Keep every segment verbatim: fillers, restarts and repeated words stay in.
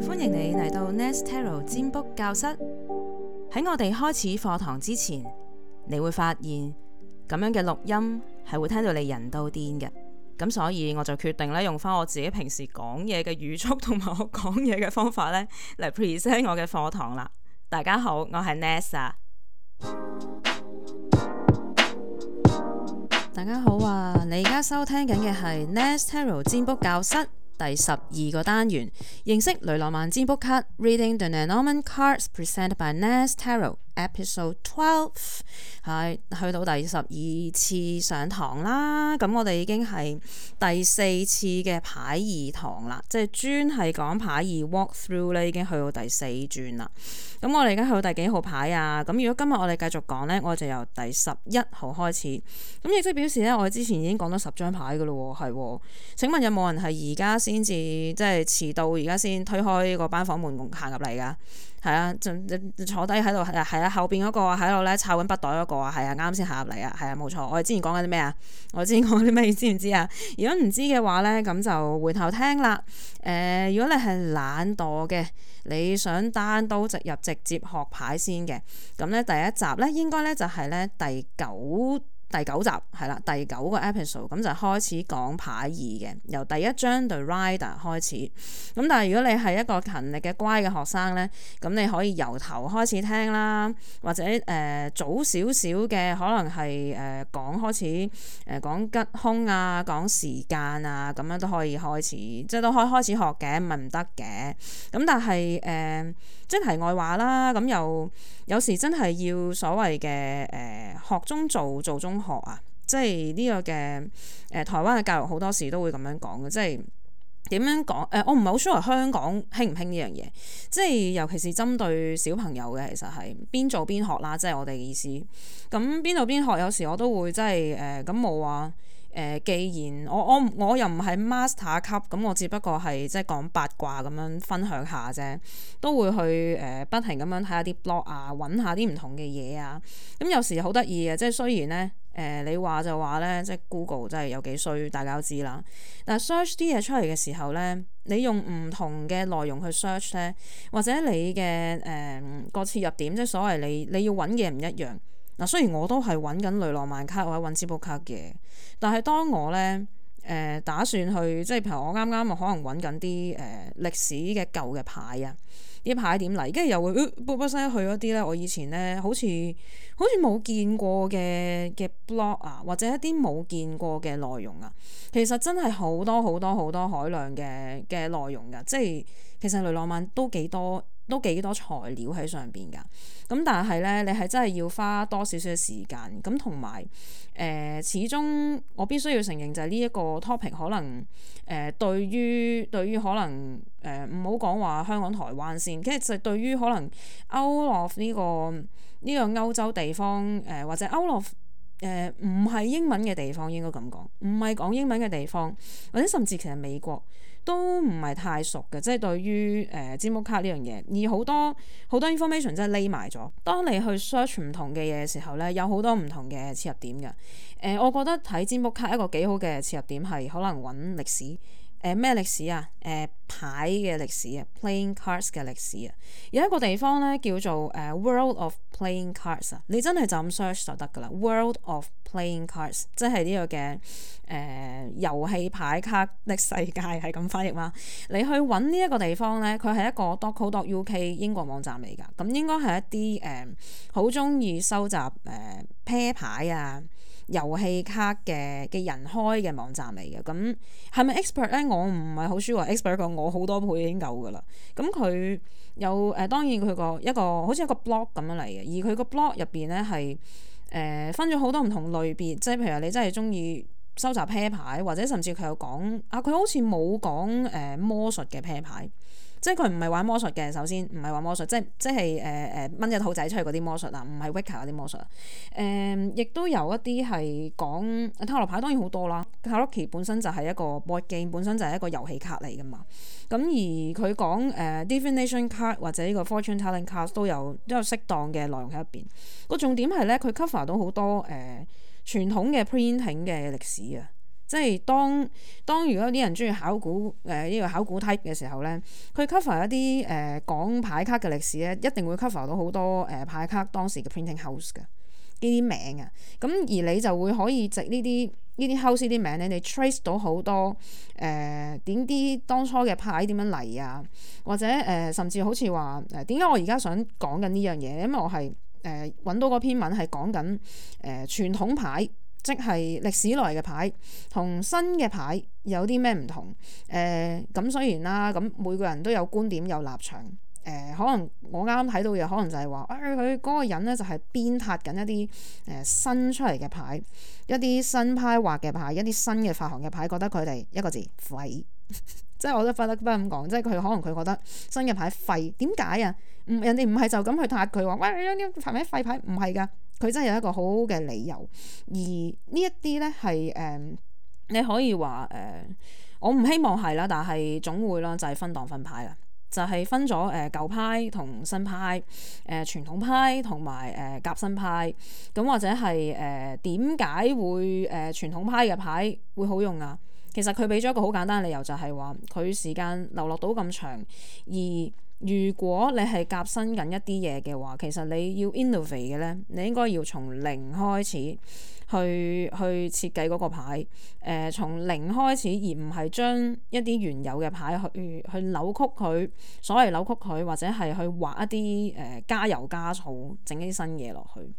歡迎你嚟到 Nest Tarot 占卜教室。喺我哋開始課堂之前，你會發現咁樣嘅錄音係會聽到你人都癲嘅。咁所以我就決定咧用翻我自己平時講嘢嘅語速同埋我講嘢嘅方法咧嚟 present 我嘅課堂啦。大家好，我係 Nest 啊。大家好啊！你而家收聽緊嘅係 Nest Tarot 占卜教室第十二個單元，認識雷諾曼占卜卡 Reading the Lenormand Cards Presented by Nest Tarot Episode twelve， 係去到第十二次上堂啦。咁我哋已經係第四次嘅牌二堂啦，即係專係講牌二 walk through 咧，已經去到第四轉啦。咁我哋而家去到第幾號牌啊？咁如果今日我哋繼續講呢，我就由第十一號開始。咁亦即表示呢，我哋之前已經講咗十張牌噶咯喎，係喎。請問有冇人係而家先至即係遲到，而家先推開個班房門行入嚟噶？係啊，就坐低喺度係啊，後邊嗰個喺度咧抄緊筆袋嗰個啊，係啊，啱先行入嚟啊，係啊，冇錯。我哋之前講緊啲咩啊？我哋之前講啲咩？你知唔知啊？如果唔知嘅話咧，咁就回頭聽啦。誒、呃，如果你係懶惰嘅，你想單刀直入直接學牌先嘅，咁咧第一集咧應該咧就係咧第九。第九集係啦，第九個 episode 咁就開始講牌二嘅，由第一張 The Rider 開始。咁但係如果你係一個勤力嘅乖嘅學生咧，咁你可以由頭開始聽啦，或者誒、呃、早少少嘅可能係誒、呃、講開始誒、呃、講吉凶啊，講時間啊，咁樣都可以開始，即係都可以開始學嘅，唔係唔得嘅。咁但係誒、呃、即係題外話啦，咁又有時真係要所謂嘅誒、呃、學中做，做中學啊，即係呢個嘅誒、呃、台灣嘅教育好多時都會咁樣講嘅，即係點樣講誒、呃？我唔係好 sure 香港興唔興呢樣嘢，即係尤其是針對小朋友嘅，其實係邊做邊學啦，即係我哋嘅意思。咁邊做邊學，有時我都會即係誒咁冇話誒，既然我我我又唔係 master 級，咁我只不過係即係講八卦咁樣分享下啫，都會去誒、呃、不停咁樣睇下啲 blog 啊，揾下啲唔同嘅嘢啊。咁有時好得意嘅，即係雖然咧。誒、呃、你話就話咧，即係 Google 真係有幾衰，大家都知啦。但係 search 啲嘢出嚟嘅時候咧，你用唔同嘅內容去 search 咧，或者你嘅誒個切入點，即係所謂你你要揾嘅唔一樣。嗱，雖然我都係揾緊雷諾曼卡或者揾占卜卡嘅，但係當我咧誒、呃、打算去，即係譬如我啱啱可能揾緊啲誒歷史嘅舊嘅牌啊。啲牌點嚟，跟住又會卜卜聲去嗰啲咧。我以前咧好似好似冇見過嘅嘅 blog 啊，或者一啲冇見過嘅內容啊。其實真係好多好多好多海量嘅嘅內容㗎，即係其實雷諾曼都幾多都幾多材料喺上邊㗎。咁但係咧，你係真係要花多少少嘅時間咁，同埋誒始終我必須要承認就係呢一個 topic 可能誒、呃、對於對於可能誒唔好講話香港台灣先，其實就對於可能 out of 呢、呢個呢、呢個歐洲地方誒、呃、或者 out of 誒唔係英文嘅地方應該咁講，唔係講英文嘅地方，或者甚至其實美國都唔係太熟嘅，即係對於誒占卜卡呢樣嘢，而好多好多 information 真係匿埋咗。當你去 search 唔同嘅嘢嘅時候咧，有好多唔同嘅切入點嘅。誒、呃，我覺得睇占卜卡一個幾好嘅切入點係可能揾歷史。誒咩歷史啊？誒、呃、牌嘅歷史啊 ，playing cards 嘅歷史啊。有一個地方咧叫做誒、呃、World of Playing Cards 啊，你真係就咁 search 就得噶啦。World of Playing Cards 即係呢個嘅誒遊戲牌卡的世界係咁翻譯嘛？你去揾呢一個地方咧，佢係一個 dot co dot uk 英國網站嚟㗎。咁應該係一啲誒好中意收集誒、呃、啤牌啊。遊戲卡嘅嘅人開嘅網站嚟嘅，咁係咪 expert 咧？我唔係好 sure expert 過我好多倍已經夠噶啦。咁佢有誒、呃，當然佢個一個好似一個 blog 咁樣嚟嘅，而佢個 blog 入邊咧係誒分咗好多唔同類別，即係譬如你真係中意收集啤牌，或者甚至佢有講啊，佢好似冇講誒魔術嘅啤牌。即係佢唔係玩魔術嘅，首先唔係玩魔術，即係即係誒誒掹隻兔仔出去嗰啲魔術啊，唔係 Wicca 嗰啲魔術啊。誒、呃，亦都有一啲係講塔羅牌，當然好多啦。塔羅牌本身就係一個 board game，本身就係一個遊戲卡嚟噶嘛。咁而佢講誒 divination card 或者呢個 fortune telling card 都有都有適當嘅內容喺入邊。個重點係咧，佢 cover 到好多誒傳、呃、統嘅 printing 嘅歷史啊。即係當當如果有啲人中意考古誒呢個考古 type 嘅時候咧，佢 cover 一啲誒講牌卡嘅歷史咧，一定會 cover 到好多誒、呃、牌卡當時嘅 printing house 嘅呢啲名啊。咁而你就會可以藉呢啲呢啲 house 呢啲名咧，你 trace 到好多誒點啲當初嘅牌點樣嚟啊，或者誒、呃、甚至好似話誒點解我而家想講緊呢樣嘢？因為我係誒揾到嗰篇文係講緊誒傳統牌，即係歷史來嘅牌同新嘅牌有啲咩唔同？誒、呃、咁雖然啦，咁每個人都有觀點有立場。誒、呃、可能我啱啱睇到嘅可能就係話，誒佢嗰個人咧就係鞭撻緊一啲誒、呃、新出嚟嘅牌，一啲新派畫嘅牌，一啲新嘅發行嘅牌，覺得佢哋一個字廢，即係我都不得不咁講，即係佢可能佢覺得新嘅牌廢，點解啊？唔人哋唔係就咁去撻佢話，喂呢啲牌咩廢牌？唔係㗎，佢真係有一個好好嘅理由，而呢一啲咧係誒你可以話誒、呃，我唔希望係啦，但係總會啦，就係、是、分黨分派啦。就係分咗誒、呃、舊派同新派，誒、呃、傳統派同埋誒夾新派，咁或者係誒點解會誒、呃、傳統派嘅牌會好用啊？其實佢俾咗一個好簡單嘅理由，就係話佢時間流落到咁長，而如果你係夾新緊一啲嘢嘅話，其實你要 innovate 嘅咧，你應該要從零開始。去去設計嗰個牌，誒、呃、從零開始，而唔係將一啲原有嘅牌去去扭曲佢，所謂扭曲佢，或者係去畫一啲誒、呃、加油加醋，整一啲新嘢落去。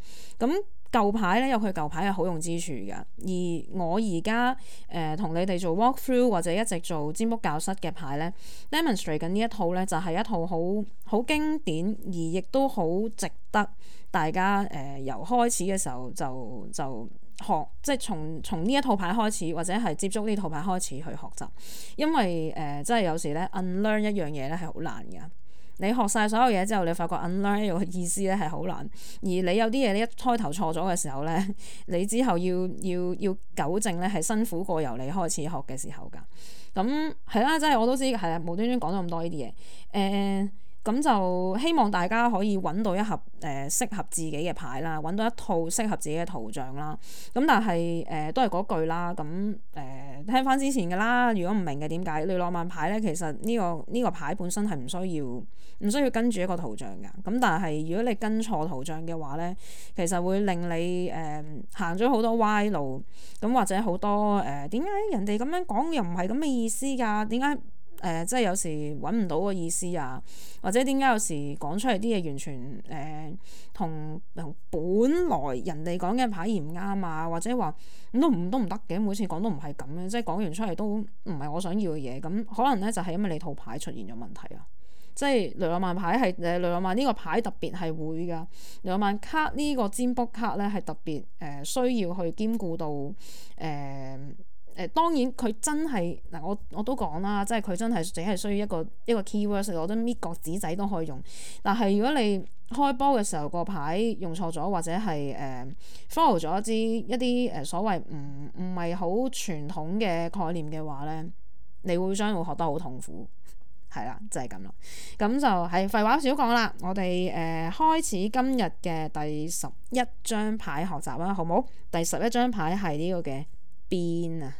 咁舊牌咧有佢舊牌嘅好用之處㗎，而我而家誒同你哋做 walk through 或者一直做占卜教室嘅牌咧 demonstrate 緊呢一套咧，就係、是、一套好好經典，而亦都好值得大家誒、呃、由開始嘅時候就就學，即係從從呢一套牌開始，或者係接觸呢套牌開始去學習，因為誒、呃、真係有時咧 unlearn 一樣嘢咧係好難㗎。你學晒所有嘢之後，你發覺 unlearn 呢個意思咧係好難，而你有啲嘢你一開頭錯咗嘅時候咧，你之後要要要糾正咧係辛苦過由你開始學嘅時候㗎。咁係啦，即係我都知係啊，無端端講咗咁多呢啲嘢，誒、呃。咁就希望大家可以揾到一盒誒、呃、適合自己嘅牌啦，揾到一套適合自己嘅圖像啦。咁但係誒、呃、都係嗰句啦。咁誒、呃、聽翻之前嘅啦。如果唔明嘅點解雷諾曼牌咧，其實呢、呢個呢、呢個牌本身係唔需要唔需要跟住一個圖像㗎。咁但係如果你跟錯圖像嘅話咧，其實會令你誒、呃、行咗好多歪路。咁或者好多誒點解人哋咁樣講又唔係咁嘅意思㗎？點解？誒、呃，即係有時揾唔到個意思啊，或者點解有時講出嚟啲嘢完全誒同同本來人哋講嘅牌而唔啱啊，或者話咁都唔都唔得嘅，每次講都唔係咁嘅，即係講完出嚟都唔係我想要嘅嘢，咁可能咧就係、是、因為你套牌出現咗問題啊，即係雷諾曼牌係誒雷諾曼呢個牌特別係會㗎，雷諾曼卡呢個占卜卡咧係特別誒、呃、需要去兼顧到誒。呃誒當然佢真係嗱，我我都講啦，即係佢真係淨係需要一個一個 keyword，我覺得搣角紙仔都可以用。但係如果你開波嘅時候個牌用錯咗，或者係誒、呃、follow 咗一啲一啲誒所謂唔唔係好傳統嘅概念嘅話咧，你會將會學得好痛苦。係啦，就係咁啦。咁就係廢話少講啦。我哋誒、呃、開始今日嘅第十一張牌學習啦，好冇？第十一張牌係呢個嘅鞭啊！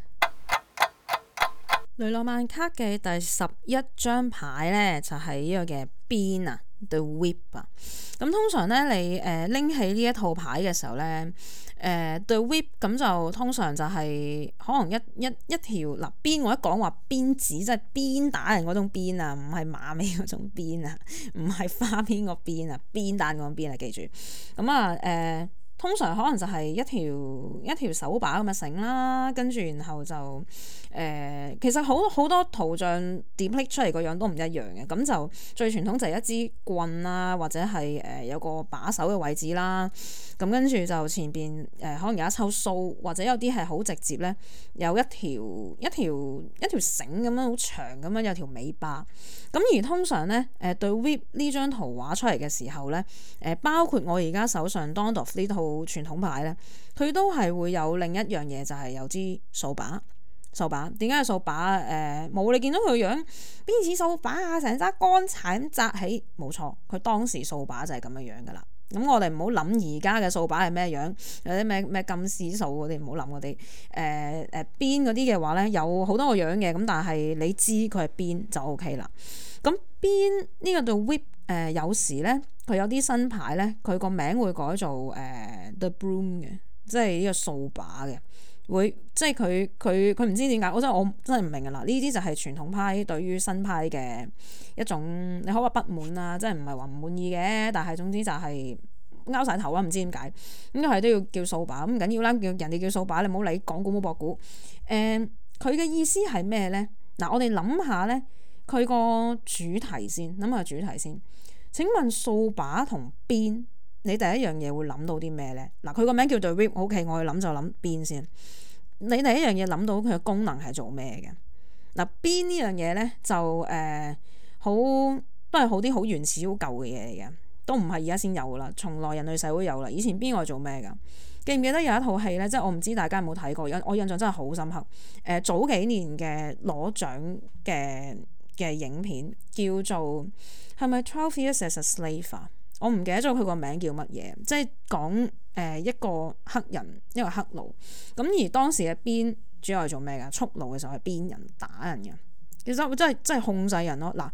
雷諾曼卡嘅第十一張牌咧，就係、是、呢個嘅鞭啊 ，The Whip 啊。咁通常咧，你誒拎、呃、起呢一套牌嘅時候咧，誒、呃、The Whip 咁就通常就係可能一一一條嗱鞭，我一講話鞭子即係鞭打人嗰種鞭啊，唔係馬尾嗰種鞭啊，唔係花邊個鞭啊，鞭打嗰種鞭啊，記住。咁啊誒。呃通常可能就係一條一條手把咁嘅繩啦，跟住然後就誒、呃，其實好好多圖像 depict 出嚟個樣都唔一樣嘅。咁就最傳統就係一支棍啦，或者係誒、呃、有個把手嘅位置啦。咁跟住就前邊誒、呃、可能有一抽鬚，或者有啲係好直接咧，有一條一條一條繩咁樣好長咁樣有條尾巴。咁而通常咧誒對 whip 呢張圖畫出嚟嘅時候咧，誒、呃、包括我而家手上 Dondorf 呢套傳統牌咧，佢都係會有另一樣嘢，就係、是、有支掃把。掃把點解係掃把？誒、呃、冇你見到佢個樣邊似掃把啊？成紮乾柴咁紮起，冇錯，佢當時掃把就係咁樣樣噶啦。咁我哋唔好諗而家嘅掃把係咩樣，有啲咩咩金絲掃嗰啲，唔好諗嗰啲。誒誒邊嗰啲嘅話咧，有好多個樣嘅，咁但係你知佢係邊就 O K 啦。咁邊呢個度 whip 誒有時咧，佢有啲新牌咧，佢個名會改做誒、呃、The Broom 嘅，即係呢個掃把嘅。會即係佢佢佢唔知點解，我真係我真係唔明㗎啦！呢啲就係傳統派對於新派嘅一種，你可以話不滿啊，即係唔係話唔滿意嘅，但係總之就係拗晒頭啦，唔知點解咁都係都要叫掃把，咁唔緊要啦，叫人哋叫掃把，你唔好理講古冇博古。誒，佢嘅意思係咩咧？嗱，我哋諗下咧，佢個主題先，諗下主題先。請問掃把同鞭，你第一樣嘢會諗到啲咩咧？嗱，佢個名叫做 whip，OK， 我去諗就諗鞭先。你第一樣嘢諗到佢嘅功能係做咩嘅？嗱，鞭呢樣嘢咧就誒好都係好啲好原始好舊嘅嘢嚟嘅，都唔係而家先有噶啦，從來人類社會有啦。以前邊個做咩噶？記唔記得有一套戲咧？即係我唔知大家有冇睇過，我印象真係好深刻。誒、呃，早幾年嘅攞獎嘅嘅影片叫做係咪 Twelve Years as a Slave 啊？我唔記得咗佢個名叫乜嘢，即係講誒一個黑人一個黑奴，咁而當時嘅鞭主要係做咩㗎？蓄奴嘅時候係鞭人打人嘅，其實真係真係控制人咯。嗱，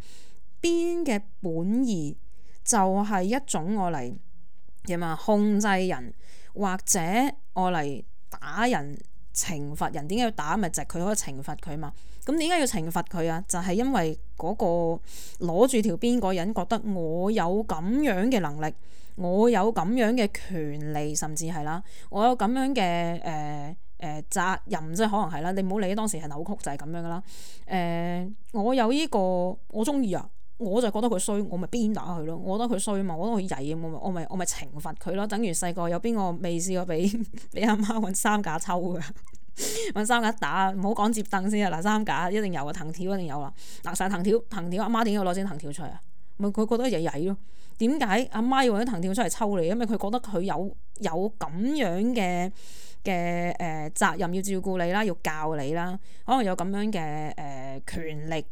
鞭嘅本意就係一種我嚟點啊控制人，或者我嚟打人懲罰人。點解要打？咪就係佢可以懲罰佢嘛。咁點解要懲罰佢啊？就係、是、因為嗰個攞住條鞭嗰人覺得我有咁樣嘅能力，我有咁樣嘅權利，甚至係啦，我有咁樣嘅誒誒責任，即係可能係啦。你唔好理當時係扭曲就係咁樣噶啦。誒、呃，我有呢、這個我中意啊，我就覺得佢衰，我咪鞭打佢咯。我覺得佢衰嘛，我覺得佢曳，我咪我咪我咪懲罰佢咯。等於細個有邊個未試過俾俾阿媽揾三架抽㗎？揾三架打，唔好講接凳先啊！嗱，三架一定有啊，藤條一定有啦。嗱，晒藤條，藤條阿媽點解要攞支藤條出嚟啊？咪佢覺得曳曳咯。點解阿媽要揾啲藤條出嚟抽你？因為佢覺得佢有有咁樣嘅嘅誒責任要照顧你啦，要教你啦，可能有咁樣嘅誒、呃、權力，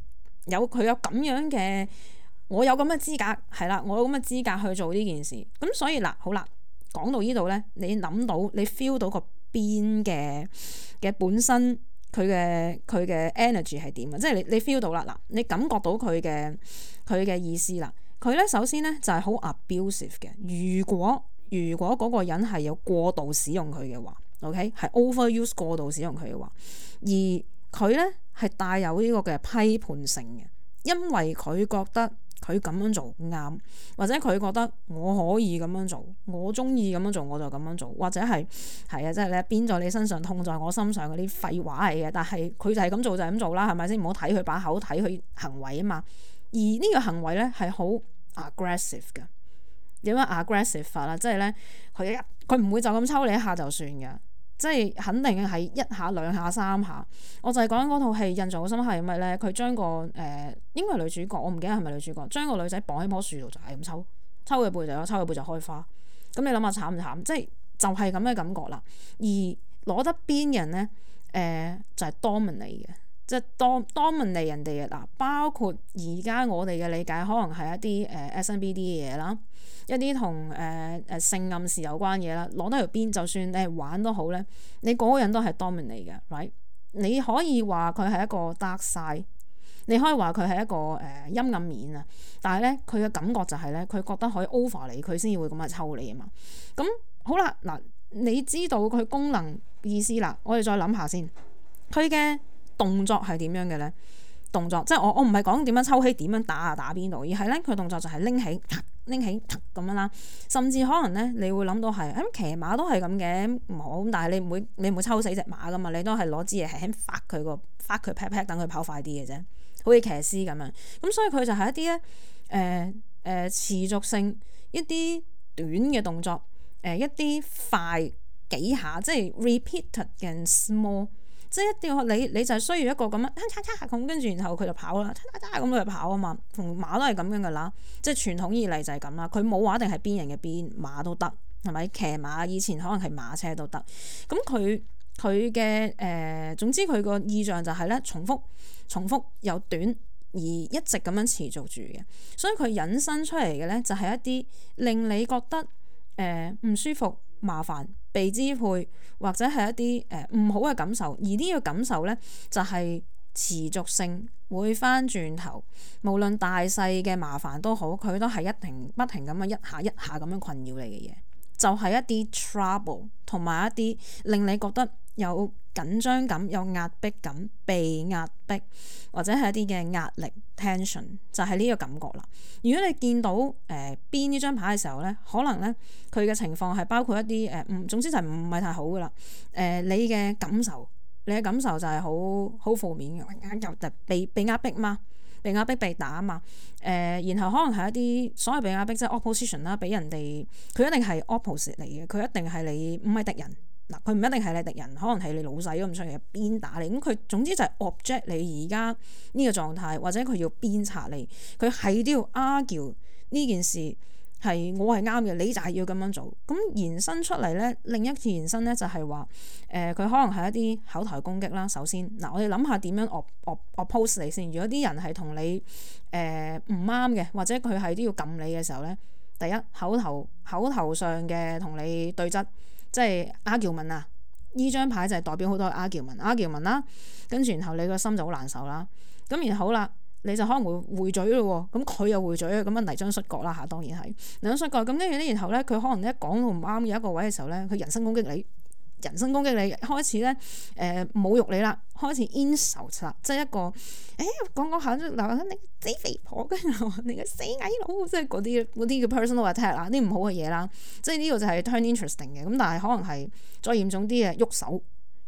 有佢有咁樣嘅，我有咁嘅資格係啦，我有咁嘅資格去做呢件事。咁所以嗱，好啦，講到呢度咧，你諗到你 feel 到個邊嘅嘅本身佢嘅佢嘅 energy 係點啊？即係你你 feel 到啦，嗱，你感覺到佢嘅佢嘅意思啦。佢咧首先咧就係好 abusive 嘅。如果如果嗰個人係有過度使用佢嘅話 ，OK 係 overuse 過度使用佢嘅話，而佢咧係帶有呢個嘅批判性嘅，因為佢覺得佢咁樣做啱，或者佢覺得我可以咁樣做，我中意咁樣做我就咁樣做，或者係係啊，即係咧鞭在你身上痛在我心上嗰啲廢話嚟嘅。但係佢就係咁做就係咁做啦，係咪先？唔好睇佢把口，睇佢行為啊嘛。而呢個行為咧係好 aggressive 嘅。點樣 aggressive 法啦？即係咧佢一佢唔會就咁抽你一下就算嘅，即係肯定係一下兩下三下。我就係講緊嗰套戲印象好深刻係咩咧？佢將個誒、呃、應該係女主角，我唔記得係咪女主角，將個女仔綁喺棵樹度就係咁抽，抽佢背就抽佢背就開花。咁你諗下慘唔慘？即係就係咁嘅感覺啦。而攞得鞭嘅人咧，誒、呃、就係、是、dominate 嘅。即係 dominate 人哋嘅嗱，包括而家我哋嘅理解，可能係一啲誒 S N B D 嘅嘢啦，一啲同誒誒性暗示有關嘢啦。攞得條鞭，就算你係玩都好咧，你嗰個人都係 dominate 嘅 ，right？你可以話佢係一個 dark side，你可以話佢係一個誒、呃、陰暗面啊。但係咧，佢嘅感覺就係咧，佢覺得可以 over 你，佢先至會咁樣抽你啊嘛。咁好啦，嗱，你知道佢功能意思啦，我哋再諗下先，佢嘅動作係點樣嘅咧？動作即係我我唔係講點樣抽起點樣打啊打邊度，而係咧佢動作就係拎起拎起咁樣啦。甚至可能咧，你會諗到係咁騎馬都係咁嘅，唔好咁，但係你唔會你唔會抽死隻馬噶嘛？你都係攞支嘢輕輕發佢個發佢 pat pat 等佢跑快啲嘅啫，好似騎師咁樣。咁所以佢就係一啲咧誒誒持續性一啲短嘅動作，誒、呃、一啲快幾下，即係 repeated 嘅 small。即係一定要你你就係需要一個咁樣咁，跟住然後佢就跑啦，咁佢就跑啊嘛。同馬都係咁樣噶啦，即係傳統以嚟就係咁啦。佢冇話一定係鞭人嘅鞭，馬都得係咪？騎馬以前可能係馬車都得。咁佢佢嘅誒，總之佢個意象就係咧重複重複又短而一直咁樣持續住嘅。所以佢引申出嚟嘅咧就係一啲令你覺得誒唔舒服、麻煩、被支配或者係一啲誒唔好嘅感受，而呢個感受咧就係持續性會翻轉頭，無論大細嘅麻煩都好，佢都係一定不停咁樣一下一下咁樣困擾你嘅嘢，就係一啲 trouble 同埋一啲令你覺得有緊張感、有壓迫感、被壓迫或者係一啲嘅壓力 tension， 就係呢個感覺啦。如果你見到誒邊呢張牌嘅時候咧，可能咧佢嘅情況係包括一啲誒唔總之就係唔係太好噶啦。誒、呃、你嘅感受，你嘅感受就係好好負面嘅，又被被壓迫嘛，被壓迫被打嘛。誒、呃、然後可能係一啲所謂被壓迫即係 opposition 啦，俾人哋佢一定係 opposite 嚟嘅，佢一定係你唔係敵人。嗱，佢唔一定係你敵人，可能係你老細咁出嚟鞭打你，咁佢總之就係 object 你而家呢個狀態，或者佢要鞭策你，佢係都要 argue 呢件事係我係啱嘅，你就係要咁樣做。咁延伸出嚟咧，另一次延伸咧就係話，誒、呃、佢可能係一啲口頭攻擊啦。首先，嗱我哋諗下點樣 op op oppose 你先。如果啲人係同你誒唔啱嘅，或者佢係都要撳你嘅時候咧，第一口頭口頭上嘅同你對質。即係 argument 啊！呢張牌就係代表好多 argument，argument 啦，跟住然後你個心就好難受啦。咁然後好啦，你就可能會回嘴咯喎，咁佢又回嘴啊，咁樣泥漿摔角啦嚇，當然係泥漿摔角。咁跟住咧，然後咧佢可能一講到唔啱有一個位嘅時候咧，佢人身攻擊你。人身攻擊你，開始咧誒、呃、侮辱你啦，開始 insult 啦，即係一個誒講講下嗱你死肥婆，跟住你個死矮佬，即係嗰啲嗰啲叫 personal attack 啦，啲唔好嘅嘢啦，即係呢個就係 turn interesting 嘅。咁但係可能係再嚴重啲嘅，喐手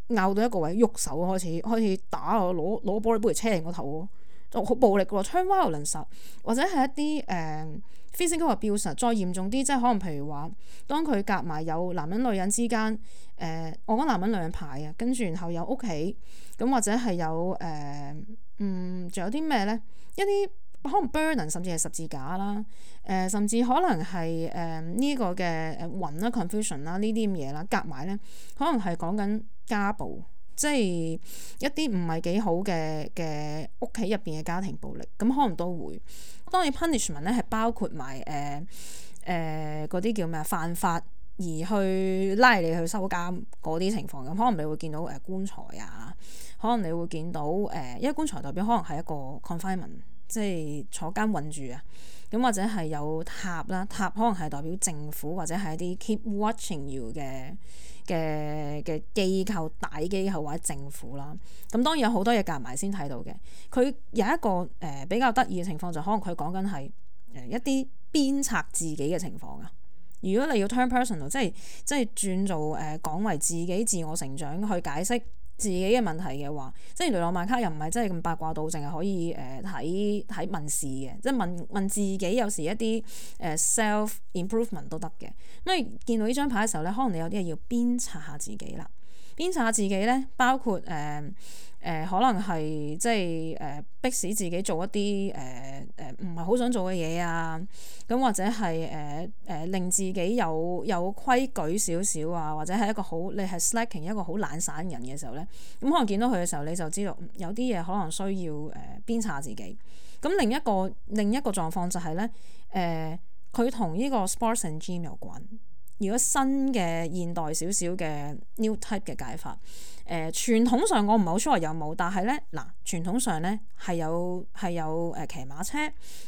拗到一個位，喐手開始開始打我，攞攞玻璃杯嚟車人個頭，就好暴力喎 turn violence 或者係一啲誒。呃physical abuse 再嚴重啲，即係可能譬如話，當佢夾埋有男人女人之間，誒、呃，我講男人女人牌啊，跟住然後有屋企，咁或者係有誒、呃，嗯，仲有啲咩咧？一啲可能 burden 甚至係十字架啦，誒、呃，甚至可能係誒呢個嘅誒魂啦、confusion 啦呢啲咁嘢啦，夾埋咧，可能係講緊家暴。即係一啲唔係幾好嘅嘅屋企入邊嘅家庭暴力，咁可能都會。當然 punishment 咧係包括埋誒誒嗰啲叫咩啊犯法而去拉你去收監嗰啲情況，咁可能你會見到誒、呃、棺材啊，可能你會見到誒、呃，因為棺材代表可能係一個 confinement，即係坐監韞住啊。咁或者係有塔啦，塔可能係代表政府或者係一啲 keep watching you 嘅。嘅嘅機構、大機構或者政府啦，咁當然有好多嘢夾埋先睇到嘅。佢有一個誒、呃、比較得意嘅情況，就可能佢講緊係誒一啲鞭策自己嘅情況啊。如果你要 turn personal，即係即係轉做誒、呃、講為自己自我成長去解釋自己嘅問題嘅話，即係雷諾曼卡又唔係真係咁八卦到，淨係可以誒睇睇問事嘅，即係問問自己有時一啲誒、呃、self improvement 都得嘅。因為見到呢張牌嘅時候咧，可能你有啲嘢要鞭策下自己啦。鞭策下自己咧，包括誒誒、呃呃、可能係即係誒迫使自己做一啲誒誒唔係好想做嘅嘢啊，咁或者係誒誒令自己有有規矩少少啊，或者係一個好你係 slacking 一個好懶散人嘅時候咧，咁可能見到佢嘅時候你就知道有啲嘢可能需要誒、呃、鞭策下自己。咁另一個另一個狀況就係咧誒佢同呢個 sports and gym 有關。如果新嘅現代少少嘅 new type 嘅解法，誒、呃、傳統上我唔係好 sure 有冇，但係咧嗱傳統上咧係有係有誒騎馬車，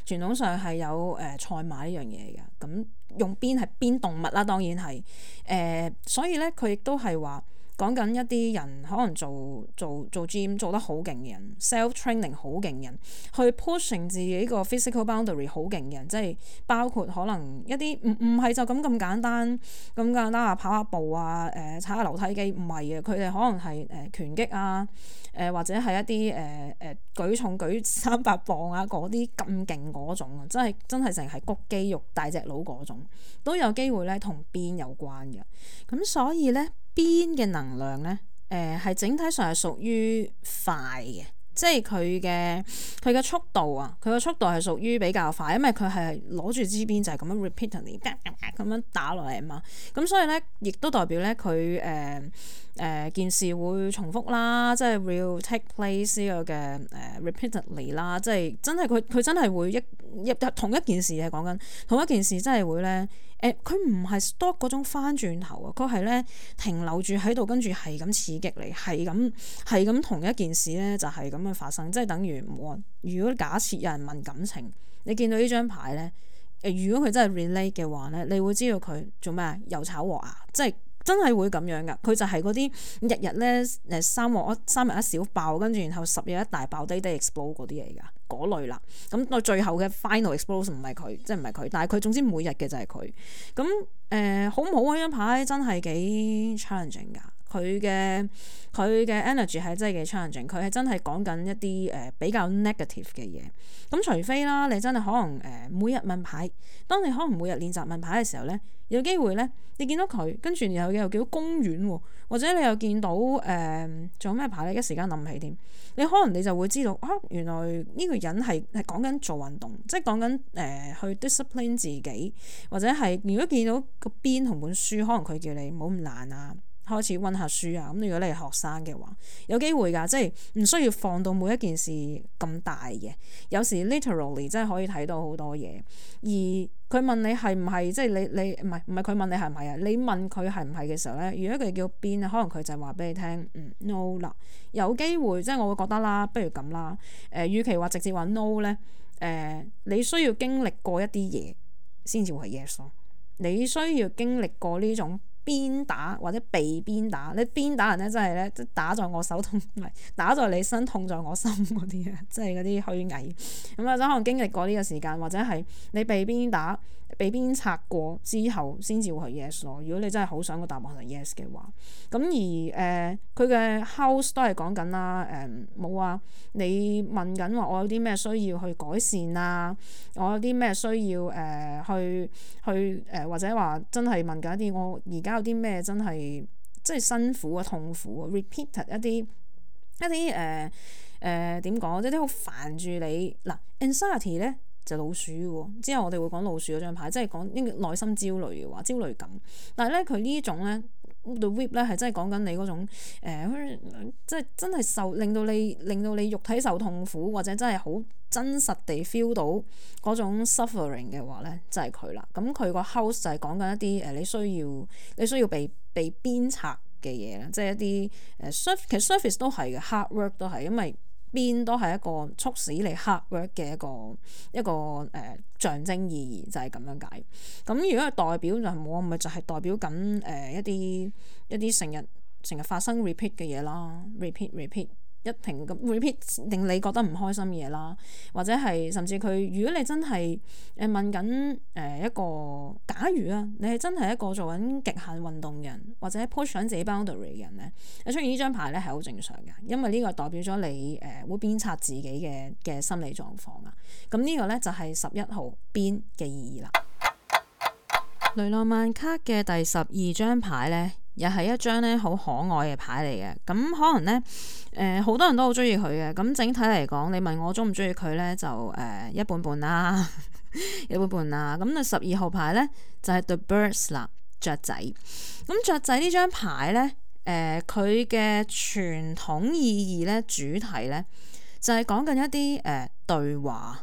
傳統上係有誒、呃、賽馬呢樣嘢嘅，咁用鞭係鞭動物啦，當然係誒、呃，所以咧佢亦都係話。講緊一啲人可能做做做 gym 做得好勁嘅人 self training 好勁嘅人去 pushing 自己個 physical boundary 好勁嘅人，即係包括可能一啲唔唔係就咁咁簡單咁簡單啊，跑下步啊，誒、呃、踩下樓梯機唔係嘅，佢哋可能係誒、呃、拳擊啊，誒、呃、或者係一啲誒誒舉重舉三百磅啊嗰啲咁勁嗰種啊，真係真係成係谷肌肉大隻佬嗰種，都有機會咧同鞭有關嘅，咁所以咧。鞭嘅能量咧，誒、呃、係整體上係屬於快嘅，即係佢嘅佢嘅速度啊，佢嘅速度係屬於比較快，因為佢係攞住支鞭就係咁樣 repeatedly 咁樣打落嚟啊嘛，咁所以咧亦都代表咧佢誒誒件事會重複啦，即係 will take place 呢個嘅誒 repeatedly 啦，即係真係佢佢真係會一一同一件事係講緊同一件事，真係會咧誒，佢唔係 stop 嗰種翻轉頭啊，佢係咧停留住喺度，跟住係咁刺激你，係咁係咁同一件事咧就係咁樣發生，即係等於我如果假設有人問感情，你見到呢張牌咧誒，如果佢真係 relate 嘅話咧，你會知道佢做咩啊？又炒鑊啊，即係。真係會咁樣噶，佢就係嗰啲日日咧誒三鑊三日一小爆，跟住然後十日一大爆，低低 explode 嗰啲嚟噶，嗰類啦。咁到最後嘅 final explosion 唔係佢，即係唔係佢，但係佢總之每日嘅就係佢。咁誒、呃、好唔好啊？張牌真係幾 challenging 噶。佢嘅佢嘅 energy 係真係幾 challenging，佢係真係講緊一啲誒、呃、比較 negative 嘅嘢。咁除非啦，你真係可能誒、呃、每日問牌，當你可能每日練習問牌嘅時候咧，有機會咧，你見到佢，跟住然後又見到公園喎，或者你又見到誒仲有咩牌咧？一時間諗唔起添。你可能你就會知道啊，原來呢個人係係講緊做運動，即係講緊誒去 discipline 自己，或者係如果見到個邊同本書，可能佢叫你唔好咁懶啊。開始溫下書啊！咁如果你係學生嘅話，有機會㗎，即係唔需要放到每一件事咁大嘅。有時 literally 真係可以睇到好多嘢。而佢問你係唔係，即係你你唔係唔係佢問你係唔係啊？你問佢係唔係嘅時候咧，如果佢叫邊啊，可能佢就係話俾你聽，嗯 no 啦。有機會即係我會覺得啦，不如咁啦。誒、呃，與其話直接話 no 咧，誒、呃，你需要經歷過一啲嘢先至會係 yes 咯。你需要經歷過呢種。鞭打或者被鞭打，你鞭打人咧，真係咧，即打在我手痛，唔係打在你身，痛在我心嗰啲啊，即係嗰啲虛偽。咁啊，可能經歷過呢個時間，或者係你被鞭打、被鞭策過之後，先至會係 yes 咯。如果你真係好想個答案係 yes 嘅話，咁而誒佢嘅 house 都係講緊啦，誒冇啊，你問緊話我有啲咩需要去改善啊，我有啲咩需要誒、呃、去去誒、呃、或者話真係問緊一啲我而家。有啲咩真係即係辛苦啊、痛苦啊 repeated 一啲一啲誒誒點講，即係啲好煩住你嗱。anxiety 咧就老鼠喎，之後我哋會講老鼠嗰張牌，即係講呢個內心焦慮嘅話，焦慮感。但係咧佢呢種咧 the whip 咧係真係講緊你嗰種誒、呃，即係真係受令到你令到你肉體受痛苦，或者真係好真實地 feel 到嗰種 suffering 嘅話咧，就係佢啦。咁佢個 house 就係講緊一啲誒，你需要你需要被被鞭策嘅嘢啦，即係一啲誒 surf 其實 surface 都係嘅 hard work 都係，因為鞭都係一個促使你 hard work 嘅一個一個誒、呃、象徵意義，就係、是、咁樣解。咁如果係代表就係冇，咪就係代表緊誒、呃、一啲一啲成日成日發生 repeat 嘅嘢啦 ，repeat repeat。一停咁 repeat 令你覺得唔開心嘅嘢啦，或者係甚至佢，如果你真係誒問緊誒一個，假如啊，你係真係一個做緊極限運動嘅人，或者 push 緊自己 boundary 嘅人咧，你出現呢張牌咧係好正常嘅，因為呢個代表咗你誒、呃、會鞭策自己嘅嘅心理狀況啊。咁呢個咧就係十一號鞭嘅意義啦。雷諾曼卡嘅第十二張牌咧，又係一張咧好可愛嘅牌嚟嘅。咁可能咧，誒、呃、好多人都好中意佢嘅。咁整體嚟講，你問我中唔中意佢咧，就誒、呃、一半半啦，一半半啦。咁啊十二號牌咧就係、是、The Birds 啦，雀仔。咁雀仔呢張牌咧，誒佢嘅傳統意義咧，主題咧就係講緊一啲誒、呃、對話。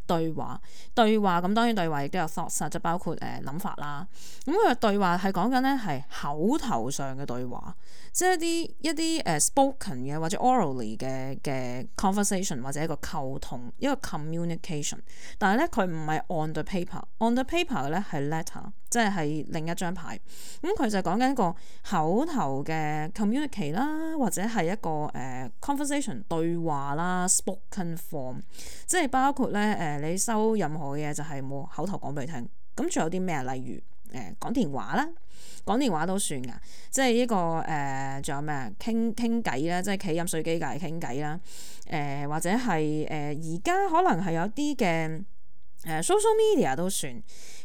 對話對話咁，當然對話亦都有 thoughts，就包括誒諗、呃、法啦。咁佢嘅對話係講緊咧係口頭上嘅對話，即係一啲一啲誒、uh, spoken 嘅或者 orally 嘅嘅 conversation 或者一個溝通一個 communication。但係咧佢唔係 on the paper，on the paper 嘅咧係 letter，即係係另一張牌。咁佢就講緊一個口頭嘅 communicate 啦，或者係一個誒、uh, conversation 對話啦 spoken form，即係包括咧誒。Uh, 你收任何嘢就係冇口頭講俾你聽，咁仲有啲咩？例如誒講電話啦，講電話都算噶，即係呢個誒仲有咩啊？傾傾偈啦，即係企飲水機隔籬傾偈啦，誒或者係誒而家可能係有啲嘅誒 social media 都算，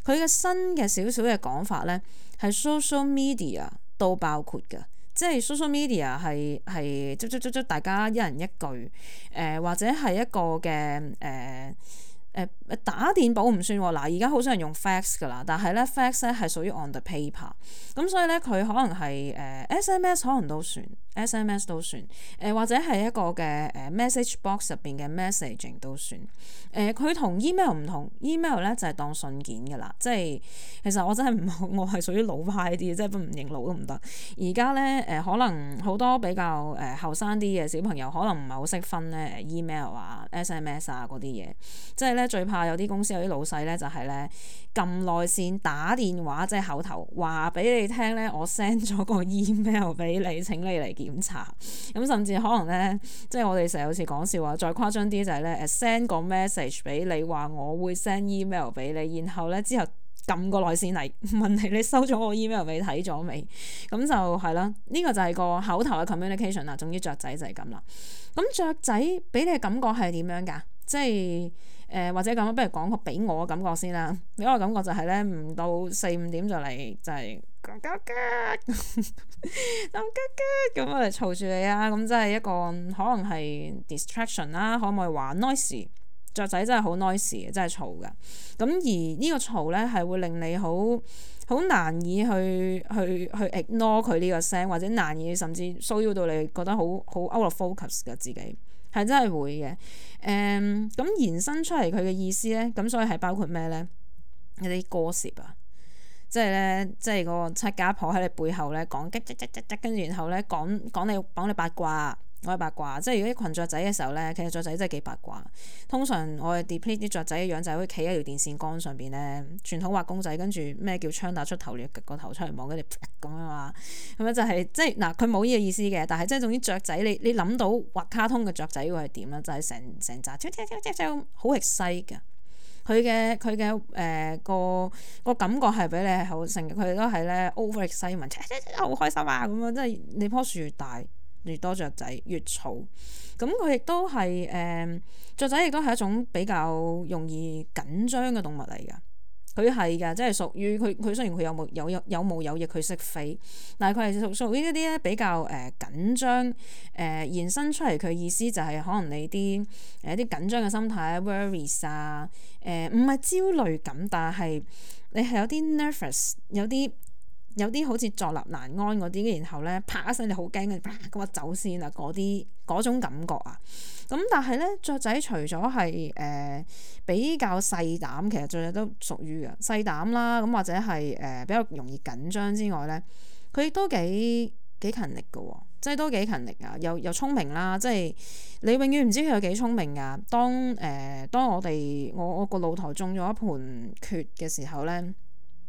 佢嘅新嘅少少嘅講法咧係 social media 都包括噶，即係 social media 係係即即即即大家一人一句誒、呃、或者係一個嘅誒。呃誒打電簿唔算喎，嗱而家好少人用 fax 㗎啦，但係咧 fax 咧係屬於 on the paper，咁所以咧佢可能係誒、呃、S M S 可能都算 S M S 都算，誒、呃、或者係一個嘅誒 message box 入邊嘅 messaging 都算，誒佢同 email 唔同 ，email 咧就係、是、當信件㗎啦，即係其實我真係唔我係屬於老派啲，即係唔認老都唔得。而家咧誒可能好多比較誒後生啲嘅小朋友可能唔係好識分咧 email 啊 S M S 啊嗰啲嘢，即係咧最怕有啲公司有啲老細咧就係咧撳內線打電話即係口頭話俾你聽咧，我 send 咗個 email 俾你，請你嚟檢查。咁甚至可能咧，即係我哋成日好似講笑話，再誇張啲就係咧誒 send 個 message 俾你話我會 send email 俾你，然後咧之後撳個內線嚟問你你收咗我 email 俾睇咗未？咁就係啦，呢、這個就係個口頭嘅 communication 啦。總之雀仔就係咁啦。咁雀仔俾你嘅感覺係點樣㗎？即係。誒、呃、或者咁，不如講個俾我嘅感覺先啦。俾我嘅感覺就係咧，唔到四五點就嚟就係咁吉吉咁吉吉咁嚟嘈住你啊！咁即係一個可能係 distraction 啦，可唔可以話 noisy？雀仔真係好 noisy 嘅，真係嘈㗎。咁而呢個嘈咧係會令你好好難以去去去 ignore 佢呢個聲，或者難以甚至騷擾到你覺得好好 out of focus 嘅自己。係真係會嘅，誒、嗯、咁延伸出嚟佢嘅意思咧，咁所以係包括咩咧？一啲歌詞啊，即係咧，即係個七家婆喺你背後咧講激激激激激，跟住然後咧講講你講你八卦。我係八卦，即係如果啲群雀仔嘅時候咧，其實雀仔真係幾八卦。通常我哋 deplete 啲雀仔嘅樣就係好似企喺條電線桿上邊咧，傳統畫公仔，跟住咩叫槍打出頭鳥，個頭出嚟望，跟住咁樣嘛，咁樣就係、是、即係嗱，佢冇呢個意思嘅，但係即係總之雀仔，你你諗到畫卡通嘅雀仔會係點咧？就係成成扎跳跳跳跳跳好 excite 㗎。佢嘅佢嘅誒個個感覺係俾你係好成，佢哋都係咧 over excitement，好開心啊咁樣，即係你樖樹越大。越多雀仔越嘈，咁佢亦都係誒雀仔，亦都係一種比較容易緊張嘅動物嚟㗎。佢係㗎，即係屬於佢佢雖然佢有毛有有有毛有翼，佢識飛，但係佢係屬屬於一啲咧比較誒、呃、緊張誒、呃、延伸出嚟。佢意思就係可能你啲誒一啲緊張嘅心態 worries 啊，誒唔係焦慮感，但係你係有啲 nervous，有啲。有啲好似坐立難安嗰啲，然後咧啪一聲你好驚嘅，咁啊走先啦嗰啲嗰種感覺啊。咁但係咧雀仔除咗係誒比較細膽，其實雀仔都屬於嘅細膽啦。咁或者係誒、呃、比較容易緊張之外咧，佢亦都幾幾勤力嘅喎，即係都幾勤力啊，又又聰明啦。即係你永遠唔知佢有幾聰明噶。當誒、呃、當我哋我我個露台種咗一盆蕨嘅時候咧。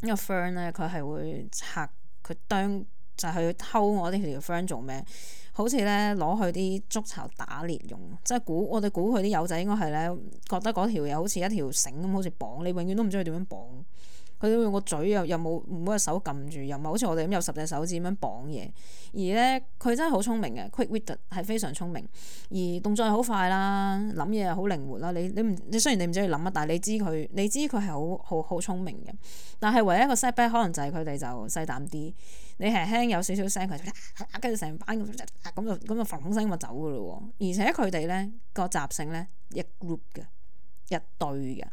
呢個 fern 咧，佢係會拆佢啄，就係、是、去偷我啲條 fern 做咩？好似咧攞去啲築巢打獵用，即係估我哋估佢啲友仔應該係咧覺得嗰條嘢好似一條繩咁，好似綁你，永遠都唔知佢點樣綁。佢都用個嘴又又冇冇隻手撳住，又唔係好似我哋咁有十隻手指咁樣綁嘢。而咧佢真係好聰明嘅 quick-witted 係非常聰明，而動作又好快啦，諗嘢又好靈活啦。你你唔你雖然你唔知佢諗乜，但係你知佢你知佢係好好好聰明嘅。但係唯一一個 setback 可能就係佢哋就細膽啲。你輕輕有少少聲，佢就跟住成班咁咁就咁就嘭聲咁就走噶咯喎。而且佢哋咧個習性咧一 group 嘅。一對嘅，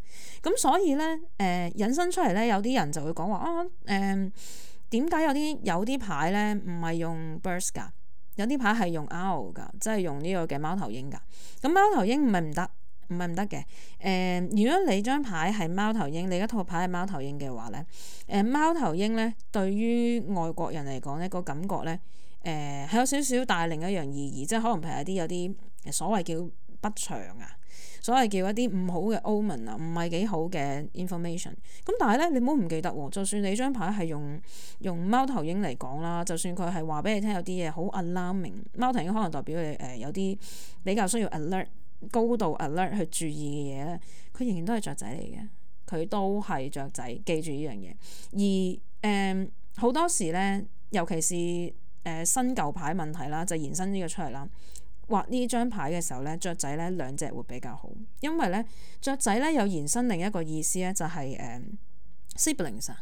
咁所以咧，誒、呃、引申出嚟咧，有啲人就會講話啊，誒點解有啲有啲牌咧唔係用 birds 㗎，有啲牌係用 owl 㗎，即係用呢個嘅貓頭鷹㗎。咁貓頭鷹唔係唔得，唔係唔得嘅。誒、呃，如果你張牌係貓頭鷹，你一套牌係貓頭鷹嘅話咧，誒、呃、貓頭鷹咧對於外國人嚟講咧個感覺咧，誒、呃、係有少少帶另一樣意義，即係可能譬如有啲有啲所謂叫不祥啊。所謂叫一啲唔好嘅 omen 啊，唔係幾好嘅 information。咁但係咧，你唔好唔記得喎。就算你張牌係用用貓頭鷹嚟講啦，就算佢係話俾你聽有啲嘢好 alarming，貓頭鷹可能代表你誒、呃、有啲比較需要 alert 高度 alert 去注意嘅嘢咧，佢仍然都係雀仔嚟嘅，佢都係雀仔，記住呢樣嘢。而誒好、呃、多時咧，尤其是誒、呃、新舊牌問題啦，就延伸呢個出嚟啦。畫呢張牌嘅時候咧，雀仔咧兩隻會比較好，因為咧雀仔咧有延伸另一個意思咧，就係、是、誒、uh, siblings 啊，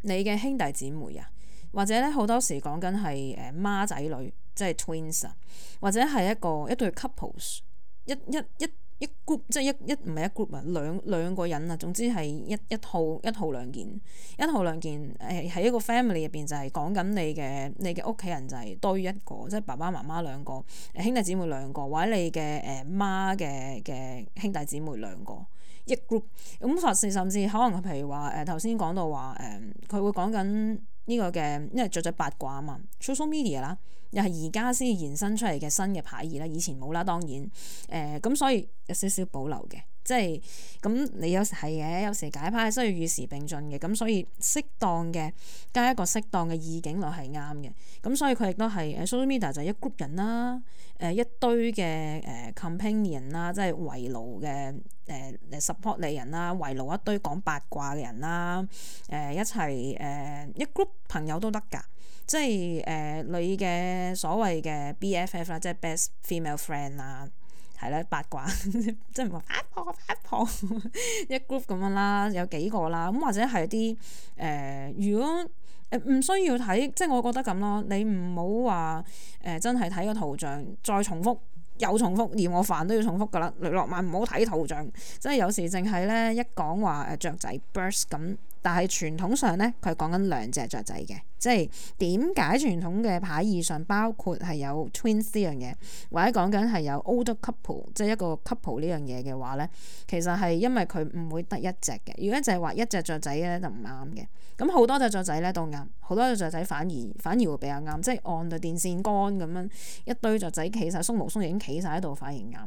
你嘅兄弟姊妹啊，或者咧好多時講緊係誒孖仔女，即係 twins 啊，或者係一個一對 couples，一一一一 group 即係一一唔係一 group 啊，兩兩個人啊，總之係一一套一套兩件，一套兩件誒喺一個 family 入邊就係講緊你嘅你嘅屋企人就係堆一個，即係爸爸媽媽兩個，兄弟姊妹兩個，或者你嘅誒媽嘅嘅兄弟姊妹兩個一 group。咁甚至甚至可能譬如話誒頭先講到話誒，佢、呃、會講緊呢個嘅，因為雀仔八卦啊嘛 social media 啦。又係而家先延伸出嚟嘅新嘅牌義啦，以前冇啦，當然誒咁、呃，所以有少少保留嘅，即係咁你有時係嘅，有時解牌需要與時並進嘅，咁所以適當嘅加一個適當嘅意境落係啱嘅，咁所以佢亦都係誒 social media 就係一 group 人啦，誒、呃、一堆嘅誒 companion 啦，即係圍爐嘅誒誒 support 你人啦，圍爐一堆講八卦嘅人啦，誒、呃、一齊誒、呃、一 group 朋友都得㗎。即係誒、呃、你嘅所謂嘅 B F F 啦，即係 best female friend 啦，係啦八卦，即係唔係八婆八婆一 group 咁樣啦，有幾個啦，咁或者係啲誒，如果誒唔、呃、需要睇，即係我覺得咁咯，你唔好話誒真係睇個圖像再重複又重複，嫌我煩都要重複噶啦，雷諾曼唔好睇圖像，即係有時淨係咧一講話誒雀仔 burst 咁。但係傳統上咧，佢係講緊兩隻雀仔嘅，即係點解傳統嘅牌義上包括係有 twins 呢樣嘢，或者講緊係有 older couple，即係一個 couple 呢樣嘢嘅話咧，其實係因為佢唔會得一隻嘅。如果淨係話一隻雀仔咧，就唔啱嘅。咁好多隻雀仔咧都啱，好多隻雀仔反而反而會比較啱，即係按對電線桿咁樣一堆雀仔企晒，鬆毛鬆翼已經企晒喺度，反而啱。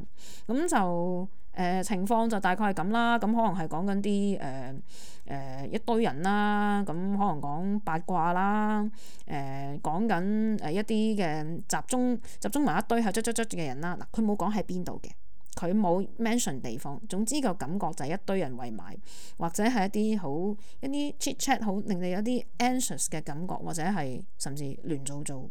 咁就誒、呃、情況就大概係咁啦。咁可能係講緊啲誒誒一堆人啦，咁可能講八卦啦，誒講緊誒一啲嘅集中集中埋一堆係卒卒卒嘅人啦。嗱，佢冇講喺邊度嘅。佢冇 mention 地方，總之個感覺就係一堆人圍埋，或者係一啲好一啲 chit chat 好令你有啲 anxious 嘅感覺，或者係甚至亂糟糟、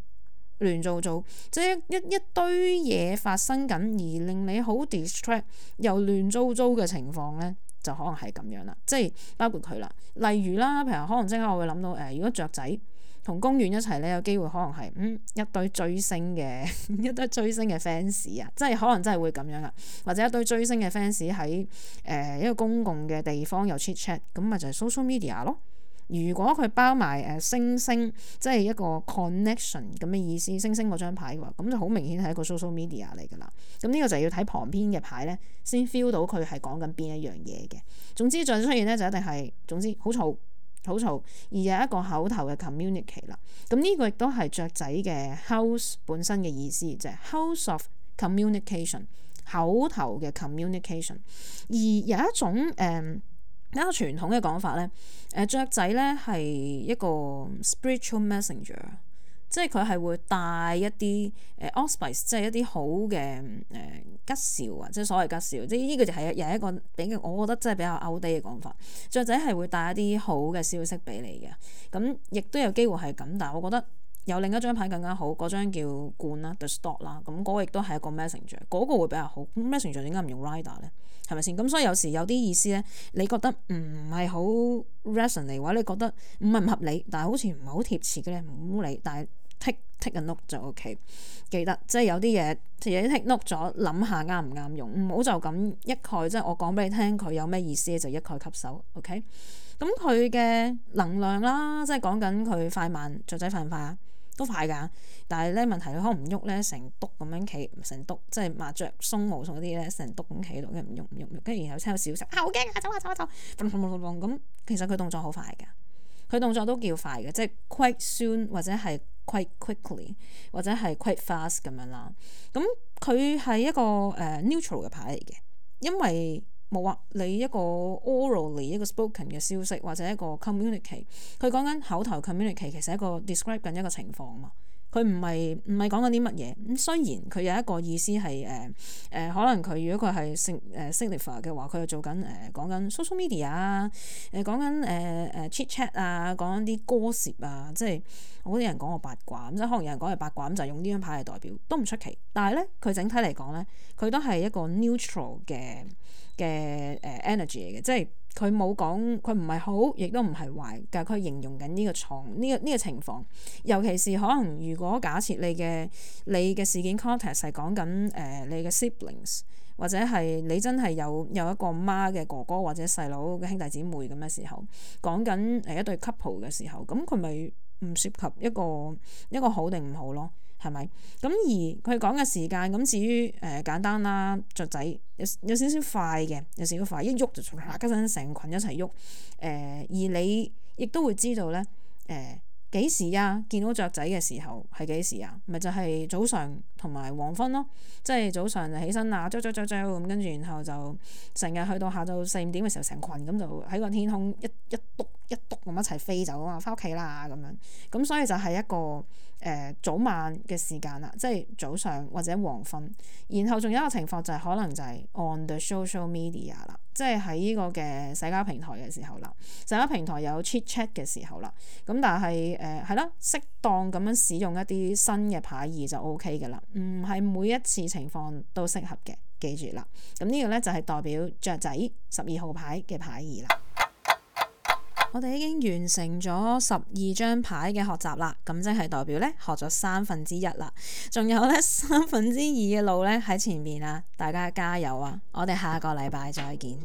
亂糟糟，即係一一,一堆嘢發生緊，而令你好 distract 又亂糟糟嘅情況咧，就可能係咁樣啦。即係包括佢啦，例如啦，譬如可能即刻我會諗到誒、呃，如果雀仔同公園一齊咧，有機會可能係嗯一堆追星嘅一堆追星嘅 fans 啊，即係可能真係會咁樣啦，或者一堆追星嘅 fans 喺誒一個公共嘅地方有 chit chat，咁咪就係 social media 咯。如果佢包埋誒、呃、星星，即係一個 connection 咁嘅意思，星星嗰張牌嘅話，咁就好明顯係一個 social media 嚟㗎啦。咁呢個就要睇旁邊嘅牌咧，先 feel 到佢係講緊邊一樣嘢嘅。總之再出現咧就一定係總之好嘈。好嘈，而有一個口頭嘅 communicate 啦。咁呢個亦都係雀仔嘅 house 本身嘅意思，就係、是、house of communication， 口頭嘅 communication。而有一種誒、呃、一個傳統嘅講法咧，誒、呃、雀仔咧係一個 spiritual messenger。即係佢係會帶一啲誒 auspice，即係一啲好嘅誒、呃、吉兆啊，即係所謂吉兆，即係呢個就係又係一個比較，我覺得真係比較 outdated 嘅講法。雀仔係會帶一啲好嘅消息俾你嘅，咁亦都有機會係咁，但係我覺得有另一張牌更加好，嗰張叫冠啦 The Stork 啦，咁嗰個亦都係一個 messenger，嗰個會比較好。咁 messenger 點解唔用 rider 咧？係咪先？咁所以有時有啲意思咧，你覺得唔係好 resonate，或者你覺得唔係唔合理，但係好似唔係好貼切嘅咧，唔好理，但係。take take a note 就 OK， 記得即係有啲嘢自己 take note 咗，諗下啱唔啱用，唔好就咁一概即係我講俾你聽佢有咩意思就一概吸收 OK。咁佢嘅能量啦，即係講緊佢快慢，雀仔快唔快啊？都快㗎，但係咧問題佢可能唔喐咧，成篤咁樣企，成篤即係麻雀鬆毛鬆嗰啲咧，成篤咁企喺度，跟住唔喐唔喐，跟住然後聽到小聲啊好驚啊，走啊走啊走，咁其實佢動作好快㗎。佢動作都叫快嘅，即係 quite soon 或者係 quite quickly 或者係 quite fast 咁樣啦。咁佢係一個誒、uh, neutral 嘅牌嚟嘅，因為冇啊，你一個 orally 一個 spoken 嘅消息或者一個 communicate， 佢講緊口頭 communicate 其實係一個 describe 緊一個情況嘛。佢唔係唔係講緊啲乜嘢咁，雖然佢有一個意思係誒誒，可能佢如果佢係 signify 嘅話，佢係做緊誒講緊 social media 啊，誒講緊誒誒 chit chat 啊，講緊啲 gossip 啊，即係我啲人講我八卦咁，即係可能有人講係八卦咁，就用呢張牌嚟代表都唔出奇。但係咧，佢整體嚟講咧，佢都係一個 neutral 嘅嘅誒 energy 嚟嘅，即係。佢冇講，佢唔係好，亦都唔係壞，但係佢形容緊呢個狀呢個呢個情況。尤其是可能如果假設你嘅你嘅事件 context 係講緊誒你嘅 siblings，或者係你真係有有一個媽嘅哥哥或者細佬嘅兄弟姊妹咁嘅時候，講緊誒一對 couple 嘅時候，咁佢咪唔涉及一個一個好定唔好咯？係咪？咁而佢講嘅時間咁，至於誒、呃、簡單啦，雀仔有有少少快嘅，有少少快，一喐就唰嗰陣成群一齊喐。誒、呃、而你亦都會知道咧，誒、呃、幾時啊？見到雀仔嘅時候係幾時啊？咪就係、是、早上同埋黃昏咯。即係早上就起身啊，啾啾啾啾咁，跟住然後就成日去到下晝四五點嘅時候，成群咁就喺個天空一一篤一篤咁一齊飛走啊，翻屋企啦咁樣。咁所以就係一個誒、呃、早晚嘅時間啦，即係早上或者黃昏。然後仲有一個情況就係、是、可能就係 on the social media 啦，即係喺呢個嘅社交平台嘅時候啦，社交平台有 chit chat 嘅時候啦。咁但係誒係啦，適當咁樣使用一啲新嘅牌義就 O K 嘅啦，唔係每一次情況都適合嘅，記住啦。咁呢個咧就係代表雀仔十二號牌嘅牌義啦。我哋已經完成咗十二張牌嘅學習啦，咁即係代表咧學咗三分之一啦，仲有咧三分之二嘅路咧喺前面啊！大家加油啊！我哋下個禮拜再見。